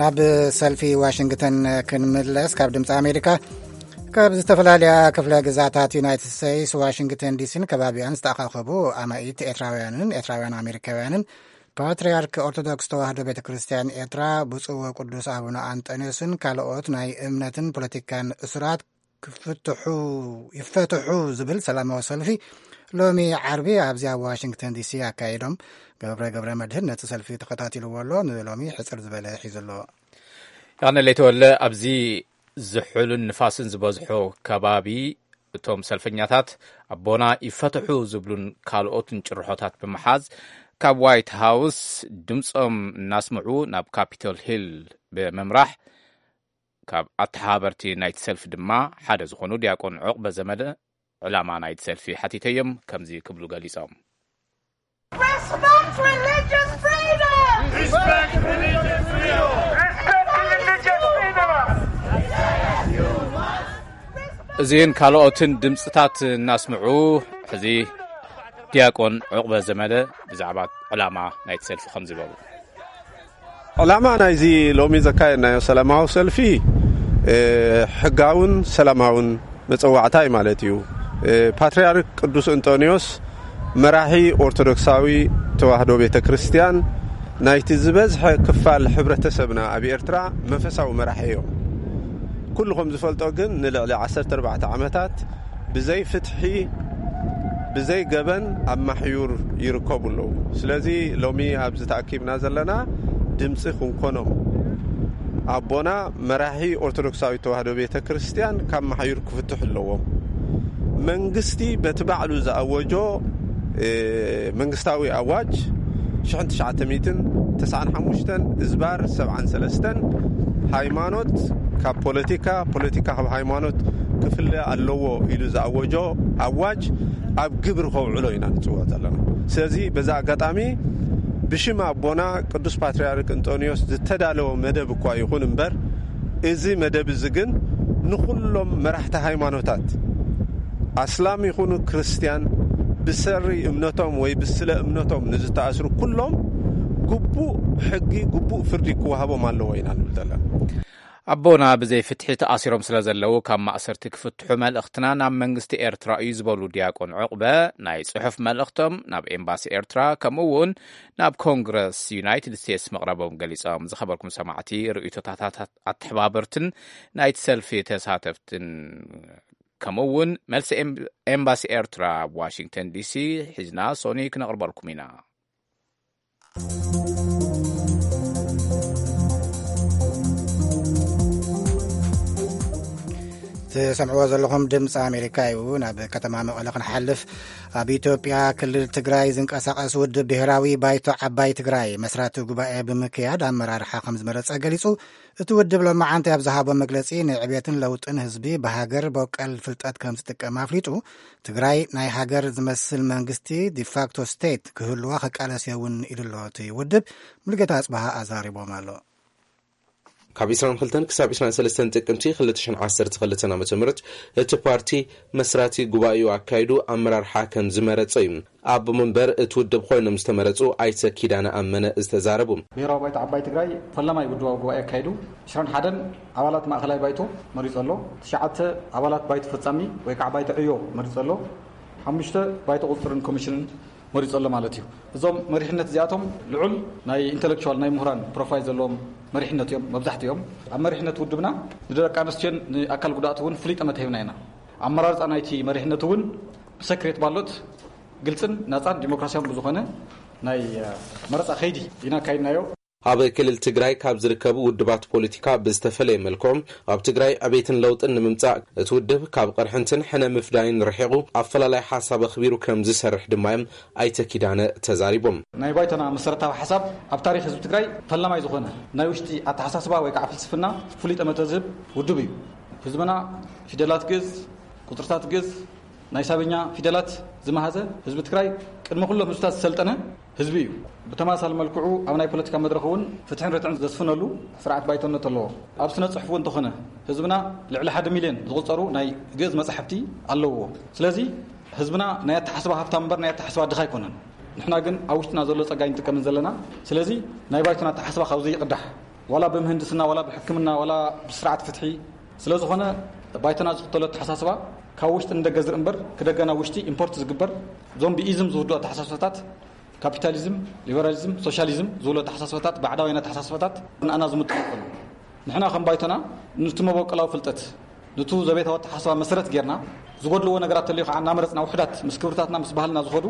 ናብ ሰልፊ ዋሽንግተን ክንምለስ፣ ካብ ድምፂ ኣሜሪካ ካብ ዝተፈላለያ ክፍለ ግዛታት ዩናይትድ ስቴትስ ዋሽንግተን ዲሲን ከባቢኣን ዝተኣኻኸቡ ኣማኢት ኤርትራውያንን ኤርትራውያን ኣሜሪካውያንን ፓትርያርክ ኦርቶዶክስ ተዋህዶ ቤተ ክርስቲያን ኤርትራ ብፁዕ ወቅዱስ ኣቡነ ኣንጠንዮስን ካልኦት ናይ እምነትን ፖለቲካን እሱራት ክፍትሑ ይፈትሑ ዝብል ሰላማዊ ሰልፊ ሎሚ ዓርቢ ኣብዚ ኣብ ዋሽንግተን ዲሲ ኣካይዶም። ገብረ ገብረ መድህን ነቲ ሰልፊ ተኸታቲልዎ ኣሎ። ንሎሚ ሕጽር ዝበለ ሒዙ ኣሎ። ያነ ለይተወለ ኣብዚ ዝሑልን ንፋስን ዝበዝሖ ከባቢ እቶም ሰልፈኛታት ኣቦና ይፈትሑ ዝብሉን ካልኦትን ጭርሖታት ብምሓዝ ካብ ዋይት ሃውስ ድምፆም እናስምዑ ናብ ካፒቶል ሂል ብምምራሕ ካብ ኣተሓባበርቲ ናይቲ ሰልፊ ድማ ሓደ ዝኾኑ ዲያቆን ዑቕበ ዘመደ ዕላማ ናይቲ ሰልፊ ሓቲተዮም ከምዚ ክብሉ ገሊጾም። Respect religious freedom! Respect religious freedom! Respect religious freedom! እዚን ካልኦትን ድምፅታት እናስምዑ ሕዚ ዲያቆን ዑቕበ ዘመደ ብዛዕባ ዕላማ ናይቲ ሰልፊ ከምዚ በሉ። ዕላማ ናይዚ ሎሚ ዘካየድናዮ ሰላማዊ ሰልፊ፣ እ፣ ሕጋውን ሰላማውን መጸዋዕታ እዩ ማለት እዩ። እ፣ ፓትርያርክ ቅዱስ እንጦንዮስ መራሒ ኦርቶዶክሳዊ ተዋህዶ ቤተ ክርስቲያን ናይቲ ዝበዝሐ ክፋል ሕብረተሰብና ኣብ ኤርትራ መንፈሳዊ መራሒ እዮም። ኩሉ ከም ዝፈልጦ ግን ንልዕሊ ዓሰርተ ኣርባዕተ ዓመታት ብዘይ ፍትሒ፣ ብዘይ ገበን ኣብ ማሕዩር ይርከቡ ኣለዉ። ስለዚ ሎሚ ኣብዚ ተኣኪብና ዘለና ድምፂ ክንኮኖም። ኣቦና መራሒ ኦርቶዶክሳዊት ተዋህዶ ቤተ ክርስቲያን ካብ ማሕዩር ክፍትሑ ኣለዎም። መንግስቲ በቲ ባዕሉ ዝኣወጆ፣ እ፣ መንግስታዊ ኣዋጅ ሽሕን ትሽዓተ ሚእትን ተስዓን ሓሙሽተን እዝባር ሰብዓን ሰለስተን ሃይማኖት ካብ ፖለቲካ፣ ፖለቲካ ካብ ሃይማኖት ክፍለ ኣለዎ ኢሉ ዝኣወጆ ኣዋጅ ኣብ ግብሪ ከውዕሎ ኢና ንጽውዕ ዘለና። ስለዚ በዛ ኣጋጣሚ ብሽም ኣቦና ቅዱስ ፓትርያርክ እንጦንዮስ ዝተዳለወ መደብ እኳ ይኹን እምበር፣ እዚ መደብ እዚ ግን ንኹሎም መራሕቲ ሃይማኖታት፣ ኣስላም ይኹኑ ክርስትያን፣ ብሰሪ እምነቶም ወይ ብስለ እምነቶም ንዝተኣስሩ ኩሎም ግቡእ ሕጊ፣ ግቡእ ፍርዲ ክወሃቦም ኣለዎ ኢና ንብል ዘለና። ኣቦና ብዘይ ፍትሒ ተኣሲሮም ስለ ዘለዉ ካብ ማእሰርቲ ክፍትሑ መልእኽትና ናብ መንግስቲ ኤርትራ እዩ ዝበሉ ዲያቆን ዑቕበ፣ ናይ ጽሑፍ መልእኽቶም ናብ ኤምባሲ ኤርትራ ከምኡ እውን ናብ ኮንግረስ ዩናይትድ ስቴትስ መቕረቦም ገሊጾም። ዝኸበርኩም ሰማዕቲ፣ ርእይቶታት ኣተሓባበርትን ናይቲ ሰልፊ ተሳተፍትን ከምኡ እውን መልሲ ኤም-፣ ኤምባሲ ኤርትራ ኣብ ዋሽንግተን ዲሲ ሒዝና ሶኒ ክነቕርበልኩም ኢና። ትሰምዕዎ ዘለኹም ድምፂ ኣሜሪካ እዩ። ናብ ከተማ መቐለ ክንሓልፍ፣ ኣብ ኢትዮጵያ ክልል ትግራይ ዝንቀሳቐስ ውድብ ብሔራዊ ባይቶ ዓባይ ትግራይ መስራቲ ጉባኤ ብምክያድ ኣመራርሓ ከም ዝመረፀ ገሊፁ። እቲ ውድብ ሎማዓንቲ ኣብ ዝሃቦ መግለፂ፣ ንዕቤትን ለውጥን ህዝቢ ብሃገር በቀል ፍልጠት ከም ዝጥቀም ኣፍሊጡ፣ ትግራይ ናይ ሃገር ዝመስል መንግስቲ ዲፋክቶ ስቴት ክህልዋ ክቃለስ እየ እውን ኢሉ ኣሎ እቲ ውድብ። ሙሉጌታ ኣፅበሃ ኣዛሪቦም ኣሎ። ካብ ዕስራን ክልተን ክሳብ ዕስራን ሰለስተን ጥቅምቲ ክልተ ሽሕን ዓሰርተ ክልተን ዓመተ ምህረት እቲ ፓርቲ መስራቲ ጉባኤኡ ኣካይዱ ኣመራርሓ ከም ዝመረጸ እዩ ኣቦ መንበር እቲ ውድብ ኮይኖም ዝተመረጹ ኣይተ ኪዳነ ኣመነ ዝተዛረቡ። ብሔራዊ ባይቶ ዓባይ ትግራይ ፈላማይ ውድባዊ ጉባኤ ኣካይዱ። ዕስራን ሓደን ኣባላት ማእኸላይ ባይቶ መሪጹ ኣሎ። ትሽዓተ ኣባላት ባይቶ ፈጻሚ ወይ ከዓ ባይቶ ዕዮ መሪጹ ኣሎ። ሓሙሽተ ባይቶ ቁፅፅርን ኮሚሽንን መሪጹ ኣሎ ማለት እዩ። እዞም መሪሕነት እዚኣቶም ልዑል ናይ ኢንተሌክቹዋል፣ ናይ ምሁራን ፕሮፋይል ዘለዎም መሪሕነት እዮም መብዛሕትኦም። ኣብ መሪሕነት ውድብና ንደቂ ኣንስትዮን ንኣካል ጉዳእቲ እውን ፍሉይ ጠመተ ሂብና ኢና። ኣመራርፃ ናይቲ መሪሕነት እውን ብሰክሬት ባሎት ግልፅን ናፃን ዲሞክራሲያውን ብዝኾነ ናይ፣ እ፣ መረፃ ከይዲ ኢና ኣካይድናዮ። ኣብ ክልል ትግራይ ካብ ዝርከቡ ውድባት ፖለቲካ ብዝተፈለየ መልክዑ፣ ኣብ ትግራይ ዕቤትን ለውጥን ንምምጻእ እቲ ውድብ ካብ ቅርሕንትን ሕነ ምፍዳይን ርሒቑ ኣፈላላይ ሓሳብ ኣኽቢሩ ከም ዝሰርሕ ድማ እዮም ኣይተ ኪዳነ ተዛሪቦም። ናይ ባይቶና መሰረታዊ ሓሳብ ኣብ ታሪኽ ህዝቢ ትግራይ ፈላማይ ዝኾነ ናይ ውሽጢ ኣተሓሳስባ ወይ ከዓ ፍልስፍና ፍሉይ ጠመተ ዝህብ ውድብ እዩ። ህዝብና ፊደላት ግእዝ፣ ቁፅርታት ግእዝ፣ ናይ ሳብኛ ፊደላት ዝመሃዘ ህዝቢ ትግራይ ቅድሚ ኩሎም ህዝብታት ዝሰልጠነ ህዝቢ እዩ። ብተመሳሳሊ መልክዑ ኣብ ናይ ፖለቲካ መድረኽ እውን ፍትሕን ርትዕን ዘስፍነሉ ስርዓት ባይቶነት ኣለዎ። ኣብ ስነ ጽሑፍ እውን እንተኾነ ህዝብና ልዕሊ ሓደ ሚልዮን ዝቑጸሩ ናይ ግእዝ መጻሕፍቲ ኣለውዎ። ስለዚ ህዝብና ናይ ኣተሓስባ ሃብታም እምበር ናይ ኣተሓስባ ድኻ ኣይኮነን። ንሕና ግን ኣብ ውሽጥና ዘሎ ጸጋ ኣይንጥቀምን ዘለና። ስለዚ ናይ ባይቶና ኣተሓስባ ካብዚ ይቕዳሕ። ዋላ ብምህንድስና፣ ዋላ ብሕክምና፣ ዋላ ብስርዓት ፍትሒ። ስለ ዝኾነ ባይቶና ዝኽተሎ ኣተሓሳስባ ካብ ውሽጢ ንደገ ዝርኢ እምበር ክደገ ናብ ውሽጢ ኢምፖርት ዝግበር ዞምቢኢዝም ዝውድኡ ኣተሓሳስባታት፣ ካፒታሊዝም፣ ሊበራሊዝም፣ ሶሻሊዝም ዝብሉ ኣተሓሳስባታት ባዕዳውያን ኣተሓሳስባታት ንኣና ዝምጥን ኣይኮኑን። ንሕና ከም ባይቶና ኑቲ መበቆላዊ ፍልጠት፣ ኑቱ ዘቤታዊ ኣተሓሳስባ መሰረት ጌርና ዝጎድልዎ ነገራት ተልዩ ከዓ እናመረፅና ውሕዳት ምስ ክብርታትና ምስ ባህልና ዝኸዱ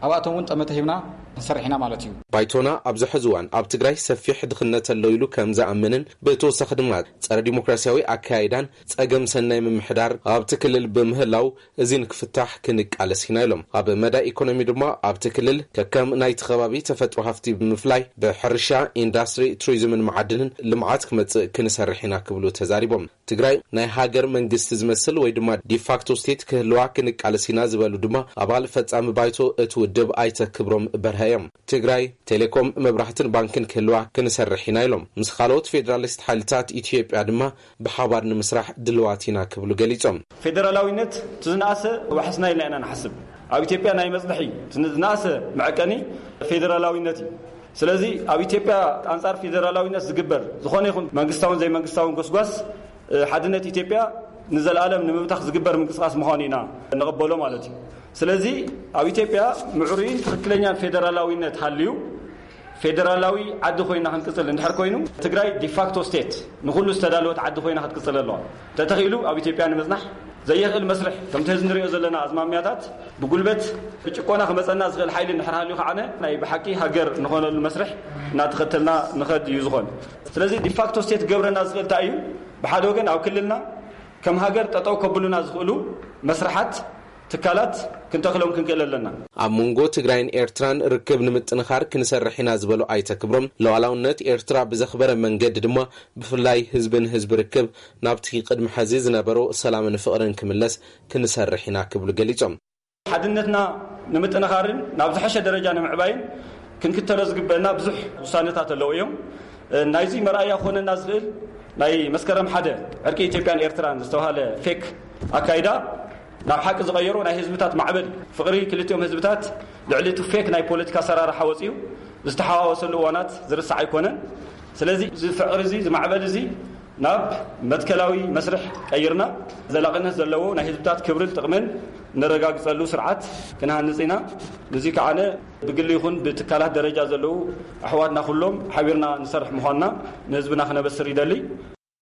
ኣብኣቶም እውን ጠመተ ሂብና ክንሰርሕ ኢና ማለት እዩ። ባይቶና ኣብዚ ሕዚ እዋን ኣብ ትግራይ ሰፊሕ ድኽነት ኣሎ ኢሉ ከም ዝኣምንን ብተወሳኺ ድማ ጸረ ዲሞክራሲያዊ ኣካያይዳን ጸገም ሰናይ ምምሕዳር ኣብቲ ክልል ብምህላው እዚ ንክፍታሕ ክንቃለስ ኢና ኢሎም። ኣብ መዳይ ኢኮኖሚ ድማ ኣብቲ ክልል ከከም ናይቲ ከባቢ ተፈጥሮ ሃፍቲ ብምፍላይ ብሕርሻ፣ ኢንዳስትሪ፣ ቱሪዝምን መዓድንን ልምዓት ክመጽእ ክንሰርሕ ኢና ክብሉ ተዛሪቦም። ትግራይ ናይ ሃገር መንግስቲ ዝመስል ወይ ድማ ዲፋክቶ ስቴት ክህልዋ ክንቃለስ ኢና ዝበሉ ድማ ኣባል ፈጻሚ ባይቶ እቲ ውድብ ኣይተ ክብሮም በርሀ እዮም። ትግራይ ቴሌኮም፣ መብራህትን ባንክን ክህልዋ ክንሰርሕ ኢና ኢሎም። ምስ ካልኦት ፌዴራሊስት ሓይልታት ኢትዮጵያ ድማ ብሓባር ንምስራሕ ድልዋት ኢና ክብሉ ገሊጾም። ፌደራላዊነት እቲ ዝነኣሰ ዋሕስና ኢልና ኢና ንሓስብ። ኣብ ኢትዮጵያ ናይ መጽንሒ ዝነኣሰ መዐቀኒ ፌደራላዊነት እዩ። ስለዚ ኣብ ኢትዮጵያ ኣንጻር ፌደራላዊነት ዝግበር ዝኾነ ይኹን መንግስታውን ዘይመንግስታውን ጎስጓስ ሓድነት ኢትዮጵያ ንዘለኣለም ንምብታኽ ዝግበር ምንቅስቃስ ምዃኑ ኢና ንቕበሎ ማለት እዩ። ስለዚ ኣብ ኢትዮጵያ ምዕሩይን ትኽክለኛን ፌደራላዊነት ሃልዩ ፌደራላዊ ዓዲ ኮይና ክንቅፅል እንድሕር ኮይኑ ትግራይ ዲፋክቶ ስቴት ንኩሉ ዝተዳለወት ዓዲ ኮይና ክትቅፅል ኣለዋ። ተተኺሉ ኣብ ኢትዮጵያ ንምፅናሕ ዘየኽእል መስርሕ ከምቲ ህዚ ንሪኦ ዘለና ኣዝማሚያታት ብጉልበት ብጭቆና ክመፀና ዝኽእል ሓይሊ እንድሕር ሃልዩ ከዓነ ናይ ብሓቂ ሃገር ንኾነሉ መስርሕ እናተኸተልና ንኸድ እዩ ዝኾን። ስለዚ ዲፋክቶ ስቴት ክገብረና ዝኽእል እንታይ እዩ? ብሓደ ወገን ኣብ ክልልና ከም ሃገር ጠጠው ከብሉና ዝኽእሉ መስርሓት ትካላት ክንተኽሎም ክንክእል ኣለና። ኣብ መንጎ ትግራይን ኤርትራን ርክብ ንምጥንኻር ክንሰርሕ ኢና ዝበሉ ኣይተ ክብሮም፣ ሉዓላውነት ኤርትራ ብዘኽበረ መንገዲ ድማ ብፍላይ ህዝቢ ንህዝቢ ርክብ ናብቲ ቅድሚ ሕዚ ዝነበሮ ሰላምን ፍቕርን ክምለስ ክንሰርሕ ኢና ክብሉ ገሊጾም። ሓድነትና ንምጥንኻርን ናብ ዝሐሸ ደረጃ ንምዕባይን ክንክተሎ ዝግበአና ብዙሕ ውሳነታት ኣለዉ እዮም። ናይዚ መርኣያ ክኾነና ዝኽእል ናይ መስከረም ሓደ ዕርቂ ኢትዮጵያን ኤርትራን ዝተባሃለ ፌክ ኣካይዳ ናብ ሓቂ ዝቐየሮ ናይ ህዝብታት ማዕበል ፍቕሪ ክልቲኦም ህዝብታት ልዕሊ እቲ ፌክ ናይ ፖለቲካ ኣሰራርሓ ወፂኡ ዝተሓዋወሰሉ እዋናት ዝርሳዕ ኣይኮነን። ስለዚ እዚ ፍቕሪ እዚ፣ እዚ ማዕበል እዚ ናብ መትከላዊ መስርሕ ቀይርና ዘላቕነት ዘለዎ ናይ ህዝብታት ክብርን ጥቕምን ነረጋግጸሉ ስርዓት ክንሃንጽ ኢና። እዚ ከዓነ ብግሊ ይኹን ብትካላት ደረጃ ዘለዉ ኣሕዋትና ኩሎም ሓቢርና ንሰርሕ ምዃንና ንህዝብና ክነበስር ይደሊ።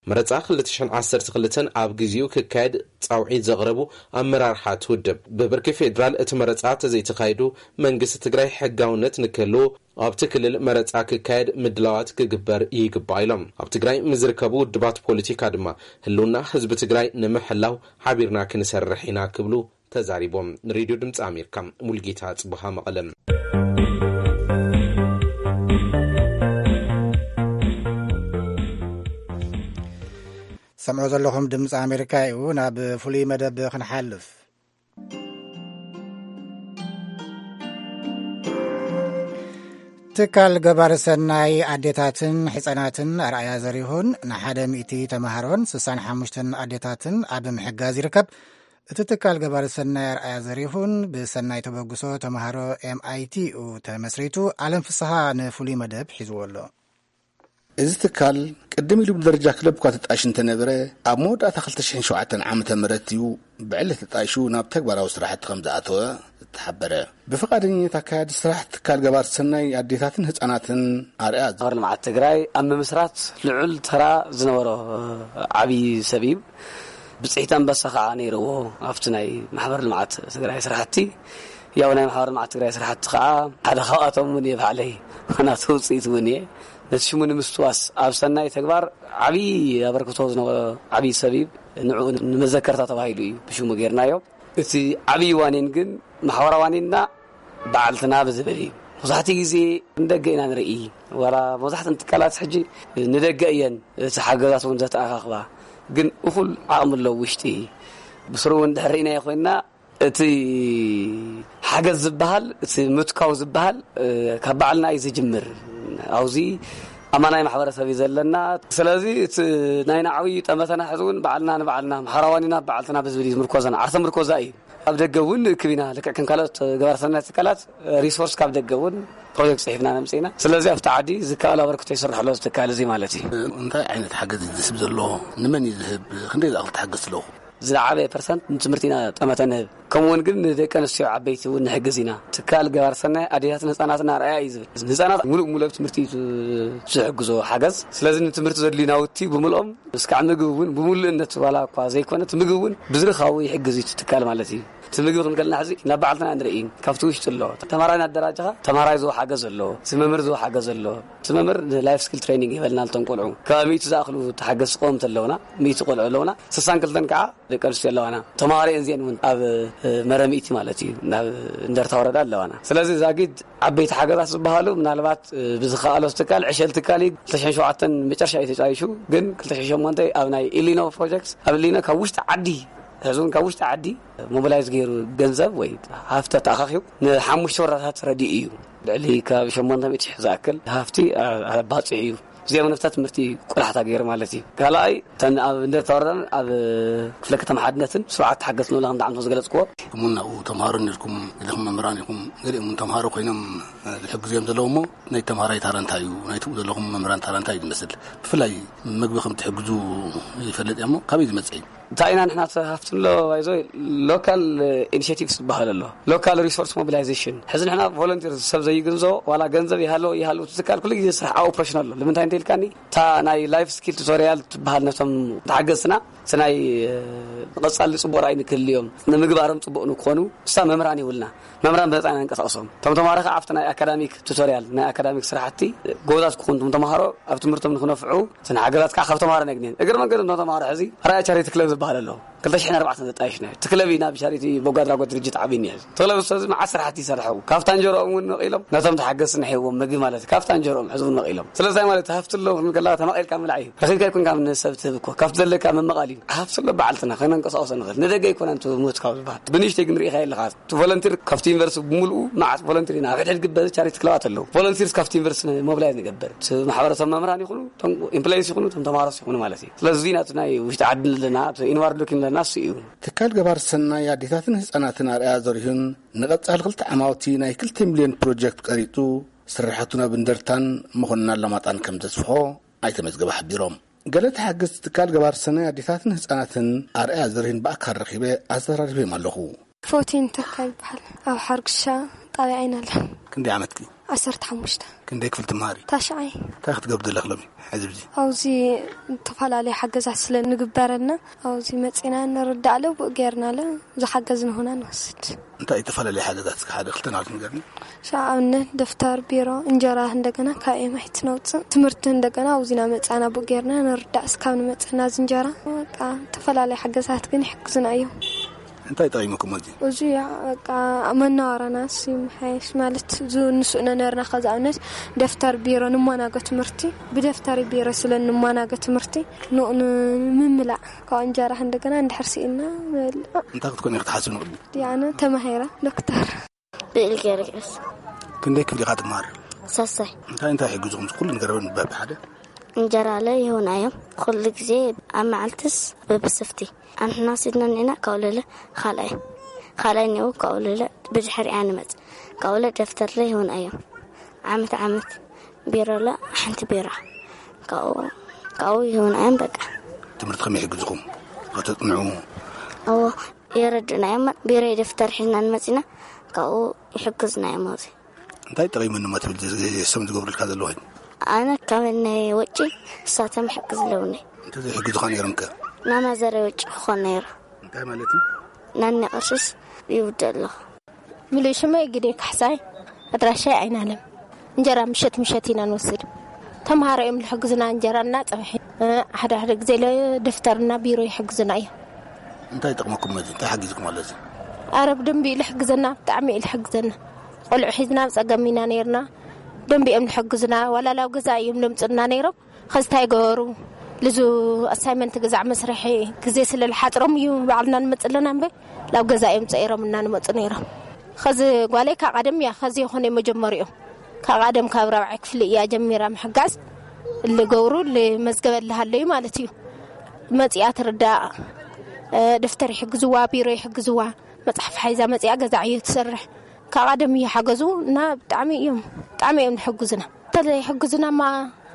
መረጻ ክልተ ሽሕን ዓሰርተ ክልተን ኣብ ግዜኡ ክካየድ ጻውዒት ዘቕረቡ ኣመራርሓ እቲ ውድብ፣ ብብርኪ ፌዴራል እቲ መረጻ ተዘይተኻይዱ መንግስቲ ትግራይ ሕጋውነት ንክህልዎ ኣብቲ ክልል መረጻ ክካየድ ምድላዋት ክግበር ይግባእ ኢሎም። ኣብ ትግራይ ምስ ዝርከቡ ውድባት ፖለቲካ ድማ ህልውና ህዝቢ ትግራይ ንምሕላው ሓቢርና ክንሰርሕ ኢና ክብሉ ተዛሪቦም። ንሬድዮ ድምፂ ኣሜሪካ ሙልጌታ ጽቡሃ መቐለ። ሰምዑ ዘለኹም ድምፂ ኣሜሪካ እዩ። ናብ ፍሉይ መደብ ክንሓልፍ። ትካል ገባሪ ሰናይ ኣዴታትን ሕፃናትን ኣርኣያ ዘሪሁን ንሓደ ሚእቲ ተምሃሮን ስሳን ሓሙሽተን ኣዴታትን ኣብ ምሕጋዝ ይርከብ። እቲ ትካል ገባሪ ሰናይ ኣርኣያ ዘሪሁን ብሰናይ ተበግሶ ተምሃሮ ኤምኣይቲ ኡ ተመስሪቱ ኣለም ፍስሃ ንፍሉይ መደብ ሒዝዎ ኣሎ። እዚ ትካል ቅድም ኢሉ ብደረጃ ክለብ እኳ ተጣይሹ እንተነበረ፣ ኣብ መወዳእታ ክልተ ሽሕን ሸውዓተን ዓመተ ምህረት እዩ ብዕሊ ተጣይሹ ናብ ተግባራዊ ስራሕቲ ከም ዝኣተወ ዝተሓበረ። ብፍቓደኝነት ኣካያዲ ስራሕ ትካል ገባር ሰናይ ኣዴታትን ህፃናትን ኣርያ ማሕበር ልምዓት ትግራይ ኣብ ምምስራት ልዑል ተራ ዝነበሮ ዓብዪ ሰብ እዩ። ብፅሒት ኣንበሳ ከዓ ነይርዎ ኣብቲ ናይ ማሕበር ልምዓት ትግራይ ስራሕቲ። ያው ናይ ማሕበር ልምዓት ትግራይ ስራሕቲ ከዓ ሓደ ካብኣቶም እውን እየ ባዕለይ። ናቱ ውፅኢት እውን እየ። ነቲ ሽሙ ንምስትዋስ ኣብ ሰናይ ተግባር ዓብዪ ኣበርክቶ ዝነበሮ ዓብዪ ሰብ እዩ። ንዕኡ ንመዘከርታ ተባሂሉ እዩ ብሽሙ ጌርናዮ። እቲ ዓብዪ ዋኒን ግን ማሕበራዊ ዋኒንና በዓልትና ብዝብል እዩ። መብዛሕትኡ ግዜ ንደገ ኢና ንርኢ። ዋላ መብዛሕትአን ትካላት ሕጂ ንደገ እየን እቲ ሓገዛት እውን ዘተኣኻኽባ። ግን እኹል ዓቕሚ ኣለዎ ውሽጢ። ብስሩ እውን ድሕር ርኢናዮ ኮይንና እቲ ሓገዝ ዝበሃል፣ እቲ ምትካው ዝበሃል፣ እ፣ ካብ ባዕልና እዩ ዝጅምር። ኣብዚ ኣማናይ ማሕበረሰብ እዩ ዘለና። ስለዚ እቲ ናይ ናዕዊ ጠመተና ሕዚ እውን ባዕልና ንባዕልና፣ ማሕበራዊ ዋኒንና በዓልትና ብዝብል እዩ ዝምርኮዘና። ዓርሰ ምርኮዛ እዩ። ኣብ ደገ እውን ንእክብ ኢና። ልክዕ ከም ካልኦት ገባር ሰናይ ትካላት ሪሶርስ ካብ ደገ እውን ፕሮጀክት ፅሒፍና ነምፅእ ኢና። ስለዚ ኣብቲ ዓዲ ዝከኣል ኣበርክቶ ይስራሕ ኣሎ እዚ ትካል እዚ ማለት እዩ። እንታይ ዓይነት ሓገዝ እዩ ዝስብ ዘሎ? ንመን እዩ ዝህብ? ክንደይ ዝኣኽል ትሓግዝ ኣለኹ? ዝለዓበ ፐርሰንት ንትምህርቲ ኢና ጠመተ ንህብ። ከምኡውን ግን ንደቂ ኣንስትዮ ዓበይቲ እውን ንሕግዝ ኢና። ትካል ገባር ሰናይ ኣዴታትን ህፃናትን ኣርኣያ እዩ ዝብል። ንህፃናት ሙሉእ ሙሉእ ኣብ ትምህርቲ እዩ ዝሕግዞ ሓገዝ። ስለዚ ንትምህርቲ ዘድልዩ ናውቲ ብምልኦም እስካዕ ምግቢ እውን ብምሉእነት ዋላ እኳ ዘይኮነ እቲ ምግቢ እውን ብዝርካቡ ይሕግዝ እዩ እቲ ትካል ማለት እዩ። እቲ ምግቢ ክንከልና ሕዚ ናብ ባዕልትና ንርኢ። ካብቲ ውሽጢ ኣሎ ተማራይ እናደራጀኻ ተማራይ ዝዎ ሓገዝ ኣሎ፣ እቲ መምህር ዝዎ ሓገዝ ኣሎ። እቲ መምህር ንላይፍ ስኪል ትሬኒንግ ይበልና ልቶም ቆልዑ ካብ ሚእቲ ዝኣኽሉ ተሓገዝቲ ቀወምቲ ኣለውና፣ ሚእቲ ቆልዑ ኣለውና። ስሳን ክልተን ከዓ ደቂ ኣንስትዮ ኣለዋና። ተማሃሪኤን እዚአን እውን ኣብ መረሚእቲ ማለት እዩ ናብ እንደርታ ወረዳ ኣለዋና። ስለዚ ዛጊድ ዓበይቲ ሓገዛት ዝበሃሉ ምናልባት ብዝኸኣሎ ትካል ዕሸል ትካል እዩ። ክልተ ሽሕን ሸውዓተን መጨረሻ እዩ ተጫይሹ፣ ግን ክልተ ሽሕን ሸሞንተ ኣብ ናይ ኢሊኖ ፕሮጀክት ኣብ ኢሊኖ ካብ ውሽጢ ዓዲ ሕዚ እውን ካብ ውሽጢ ዓዲ ሞቢላይዝ ገይሩ ገንዘብ ወይ ሃፍተ ተኣኻኺቡ ንሓሙሽተ ወረዳታት ረዲኡ እዩ። ልዕሊ ካብ ሸሞንተ ሚእቲ ሺሕ ዝኣክል ሃፍቲ ኣባፂሑ እዩ። እዚኦም ነፍታ ትምህርቲ ቆላሕታ ገይሩ ማለት እዩ። ካልኣይ እተን ኣብ እንደርታ ወረዳን ኣብ ክፍለ ከተማ ሓድነትን ስሩዓት ተሓገዝቲ ንብላ ከምቲ ዓመት ዝገለፅክዎ። እሙን ናብኡ ተምሃሮ ነርኩም ኢልኩም መምህራን ኢኹም። ገሊኦም እውን ተምሃሮ ኮይኖም ዝሕግዙ እዮም ዘለዉ እሞ ናይ ተምሃራይ ታራ እንታይ እዩ፣ ናይ ትብኡ ዘለኹም መምህራን ታራ እንታይ እዩ ዝመስል? ብፍላይ ምግቢ ከም ትሕግዙ ይፈልጥ እያ እሞ ካበይ ዝመፅእ እዩ? እንታይ ኢና ንሕና ተሃፍትሎ ባይዞ ሎካል ኢኒሽቲቭስ ዝበሃል ኣሎ፣ ሎካል ሪሶርስ ሞቢላይዜሽን። ሕዚ ንሕና ቮለንቲር ሰብ ዘይግንዘቦ ዋላ ገንዘብ ይሃሎ ይሃሉ ትካል ኩሉ ግዜ ስራሕ ኣብ ኦፕሬሽን ኣሎ። ንምንታይ እንተ ኢልካኒ እታ ናይ ላይፍ ስኪል ቱቶሪያል ትበሃል ነቶም ተሓገዝትና እቲ ናይ ንቐጻሊ ጽቡቕ ራእይ ንክህልዮም ንምግባሮም ጽቡቕ ንክኾኑ እሳ መምህራን ይብልና። መምህራን ብነጻ ኢና ንንቀሳቐሶም። እቶም ተምሃሮ ከዓ ኣብቲ ናይ ኣካዳሚክ ቱቶሪያል ናይ ኣካዳሚክ ስራሕቲ ጎበዛት ክኾኑ እቶም ተምሃሮ ኣብ ትምህርቶም ንክነፍዑ እቲ ሓገዛት ከዓ ካብ ተምሃሮ ነግንየን። እግሪ መንገዲ እቶም ተምሃሮ ሕዚ ራእይ ቻሪቲ ክለብ ዝበሃል ኣሎ። ክልተ ሽሕን ኣርባዕተን ዘጣየሽና እዩ። እቲ ክለብ ኢና ብቻሪቲ በጎ ኣድራጎት ድርጅት ዓቢና እዩ። እቲ ክለብ እዚ መዓት ስራሕቲ ይሰርሑ። ካብታ እንጀሮኦም እውን ነቒሎም ነቶም ተሓገዝቲ ንሕዎም ምግቢ ማለት እዩ። ካብታ እንጀሮኦም ሕዚ እውን ነቒሎም። ስለዚ ማለት ሃፍቲ ኣሎ ክንብል ከለኻ ተመቒልካ ምብላዕ እዩ። ረኺብካ ኣይኮንካ ንሰብ ትህብ እኮ። ካብቲ ዘለካ ምምቓል እዩ። ሃፍቲ ኣሎ በዓልትና ከነንቀሳቕሶ ንኽእል። ንደገ ኣይኮነን እቲ ምህትካው ዝበሃል። ብንእሽተይ ግን ርኢኻ የለኻ። እቲ ቮለንቲር ካብቲ ዩኒቨርሲቲ ብምሉኡ መዓት ቮለንቲር ኢና። ኣብ ሕድሕድ ግበ ቻሪቲ ክለባት ኣለዉ። ቮለንቲርስ ካብቲ ዩኒቨርሲቲ ሞቢላይዝ ንገብር። እቲ ማሕበረሰብ መምህራን ይኹኑ፣ እቶም ኤምፕሎይስ ይኹኑ፣ እቶም ተምሃሮስ ይኹኑ ማለት እዩ። ስለዚ እዚ ናቱ ናይ ውሽጢ ዓዲ ኣለና፣ እቲ ኢንዋርድ ሉኪንግ ኣለና እሱ እዩ። ትካል ገባር ሰናይ ኣዴታትን ህጻናትን ኣርኣያ ዘርሁን ንቐጻሊ ክልተ ዓማውቲ ናይ ክልተ ሚልዮን ፕሮጀክት ቀሪጹ ስርሓቱ ናብ እንደርታን መኾንና ኣላማጣን ከም ዘስፍሖ ኣይተመዝገበ ሓቢሮም። ገለ ተሓገዝቲ ትካል ገባር ሰናይ ኣዴታትን ህጻናትን ኣርኣያ ዘርሂን ብኣካል ረኺበ ኣዘራሪበዮም ኣለኹ። ፎቲን ተካ ይበሃል። ኣብ ሓርግሻ ጣብያ ዓይናለ። ክንደይ ዓመትኪ? ዓሰርተ ሓሙሽተ። ክንደይ ክፍል ትመሃሪ? ታሽዓይ። እንታይ ክትገብሪ ዘለኺ ሎሚ? ሕዚ ብዚ ኣብዚ ዝተፈላለዩ ሓገዛት ስለ ንግበረልና ኣብዚ መጺና ንርዳእ ኣለ ብኡ ጌርና ኣለ ዝሓገዝ ንሆና ንወስድ። እንታይ ዝተፈላለዩ ሓገዛት እስከ ሓደ ክልተ ናት ንገርኒ? ሻ ኣብነት ደፍተር፣ ቢሮ፣ እንጀራ እንደገና ካብ ኤማይት ነውፅእ። ትምህርቲ እንደገና ኣብዚና መፃና ብኡ ጌርና ንርዳእ እስካብ ንመፀና እዚ እንጀራ። በቃ ዝተፈላለዩ ሓገዛት ግን ይሕግዙና እዮም። እንታይ ጠቒሙኩም እዚ? እዚ ያ በቃ መናዋራና ሲ ምሓየሽ ማለት እዚ ንስእነ ነርና። ከዚ ኣብነት ደፍተር ቢሮ ንማናገ ትምህርቲ ብደፍተር ቢሮ ስለ ንማናገ ትምህርቲ ንኡ ንምምላእ ካብ እንጀራ እንደገና እንድሕር ስኢና ንበልዕ። እንታይ ክትኮን ኢኺ ትሓስብ ንቕድሚት? ዲያነ ተማሂራ ዶክተር። ብእል ገርግስ። ክንደይ ክፍሊ ኢኻ ትመሃር? ሳሳይ። እንታይ እንታይ ይሕግዙኹም? ኩሉ ንገረበ ንበብ ሓደ። እንጀራ ለ ይሁን ኣዮም ኩሉ ግዜ ኣብ መዓልትስ በብስፍቲ ኣንሕና ሲድና ኒዕና ካውለለ ካልኣይ ካልኣይ ኒኡ ካውለለ ብድሕሪኣ ንመጽ ካውለ ደፍተር ለ ይሁን ኣዮም ዓመት ዓመት ቢሮ ለ ሓንቲ ቢራ ካብኡ ካብኡ ይሁን ኣዮም በቃ። ትምህርቲ ከመይ ይሕግዝኹም? ከተጽንዑ? እዎ የረድእና እዮም። ቢሮ ደፍተር ሒዝና ንመጺና ካብኡ ይሕግዝና እዮም ኣብዚ። እንታይ ጠቒሙኒ እሞ ትብል እዚ እሶም ዝገብሩልካ ዘለዉ? ኣነ ካብ ናይ ወጪ እሳቶም ይሕግዝ ኣለውኒ። እንተዘይሕግዙኻ ነይሮም ከ? ናማዘረ ወጪ ክኾን ነይሩ። እንታይ ማለት እዩ? ናኒ ቅርሽስ ይውድእ ኣለኹ። ምሉእ ሽመይ ግዴ ካሕሳይ፣ ኣድራሻይ ኣይናለም። እንጀራ ምሸት ምሸት ኢና ንወስድ። ተምሃሮ እዮም ዝሕግዙና እንጀራና ጸብሒ። ሓደ ሓደ ግዜ ለ ደፍተርና ቢሮ ይሕግዙና እዮም። እንታይ ይጠቕመኩም እዚ? እንታይ ሓጊዝኩም ኣሎ እዚ? ኣረ ብደንቢ እዩ ዝሕግዘና፣ ብጣዕሚ እዩ ዝሕግዘና። ቆልዑ ሒዝና ኣብ ጸገም ኢና ነይርና። ደንቢ እዮም ዝሕግዙና። ዋላ ላብ ገዛ እዮም ዘምጽኡና ነይሮም። ኸዚ እንታይ ገበሩ? ልዙ ኣሳይመንት ግዛዕ መስርሒ ግዜ ስለ ዝሓጽሮም እዩ ባዕልና ንመጽእ ኣለና እምበር ላብ ገዛ እዮም ጸኢሮም እና ንመጹ ነይሮም። ኸዚ ጓለይ ካብ ቀደም እያ፣ ኸዚ ይኾነ መጀመሪኦም። ካብ ቀደም ካብ ራብዓይ ክፍሊ እያ ጀሚራ ምሕጋዝ። ልገብሩ ልመዝገበ ልሃለዩ ማለት እዩ። መጺኣ ትርዳእ፣ እ፣ ደፍተር ይሕግዝዋ፣ ቢሮ ይሕግዝዋ፣ መጽሓፍ ሓይዛ መጺኣ ገዛ ዕዮ ትሰርሕ። ካብ ቀደም እዩ ሓገዙ እና ብጣዕሚ እዮም፣ ብጣዕሚ እዮም ዝሕግዙና። እንተዘይሕግዙናማ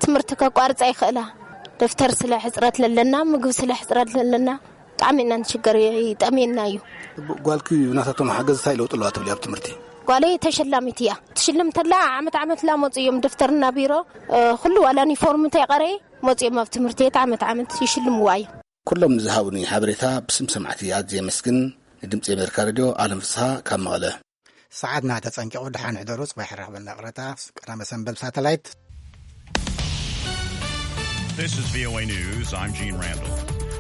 ትምህርቲ ከቋርጻ ይኽእላ። ደፍተር ስለ ሕጽረት ለለና፣ ምግቢ ስለ ሕጽረት ለለና፣ ብጣዕሚ ኢና ንሽገር፣ ይጠምየና እዩ። ጓልኪ ናታቶም ሓገዝ እንታይ ለውጢ ኣለዋ ትብሊ ኣብ ትምህርቲ? ጓለይ ተሸላሚት እያ። ትሽልም ተላ ዓመት ዓመት ላ መፁ እዮም ደፍተርና ቢሮ፣ እ፣ ኩሉ ዋላ ዩኒፎርም ተይቀረየ መፁ እዮም ኣብ ትምህርቲ ቤት ዓመት ዓመት ይሽልምዋ እዮም። ኩሎም ዝሃቡኒ ሓበሬታ ብስም ሰማዕቲ ኣዝየ የመስግን። ንድምፂ ኣሜሪካ ሬድዮ ኣለም ፍስሃ ካብ መቐለ። ሰዓትና ተጸንቂቑ። ደሓን ሕደሩ። ጽባሕ ራኸበና ቅረታ ቀዳመ ሰንበት ሳተላይት። This is V O A News. I'm Gene Randall.